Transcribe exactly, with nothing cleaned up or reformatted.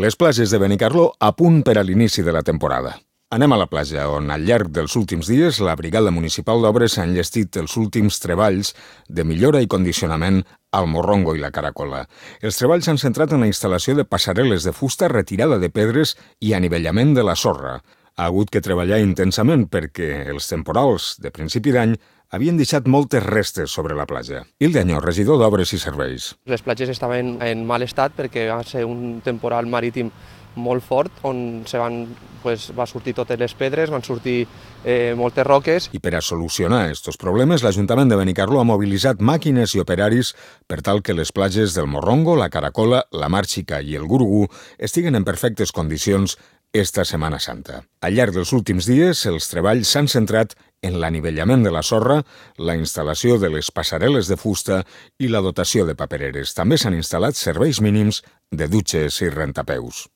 Les platges de Benicarló a punt per a l'inici de la temporada. Anem a la platja, on al llarg dels últims dies la Brigada Municipal d'Obres ha enllestit els últims treballs de millora i condicionament al Morrongo i la Caracola. Els treballs s'han centrat en la instal·lació de passarel·les de fusta, retirada de pedres i anivellament de la sorra. Ha hagut que treballar intensament perquè els temporals de principi d'any havien deixat moltes restes sobre la platja. Hilda Añó, regidor d'Obres i Serveis. Les platges estaven en mal estat perquè va ser un temporal marítim molt fort, on se van, pues, va sortir totes les pedres, van sortir eh, moltes roques. I per a solucionar aquests problemes, l'Ajuntament de Benicarló ha mobilitzat màquines i operaris per tal que les platges del Morrongo, la Caracola, la Mar Xica i el Gurugú estiguen en perfectes condicions esta Setmana Santa. Al llarg dels últims dies, els treballs s'han centrat en l'anivellament de la sorra, la instal·lació de les passarel·les de fusta i la dotació de papereres. També s'han instal·lat serveis mínims de dutxes i rentapeus.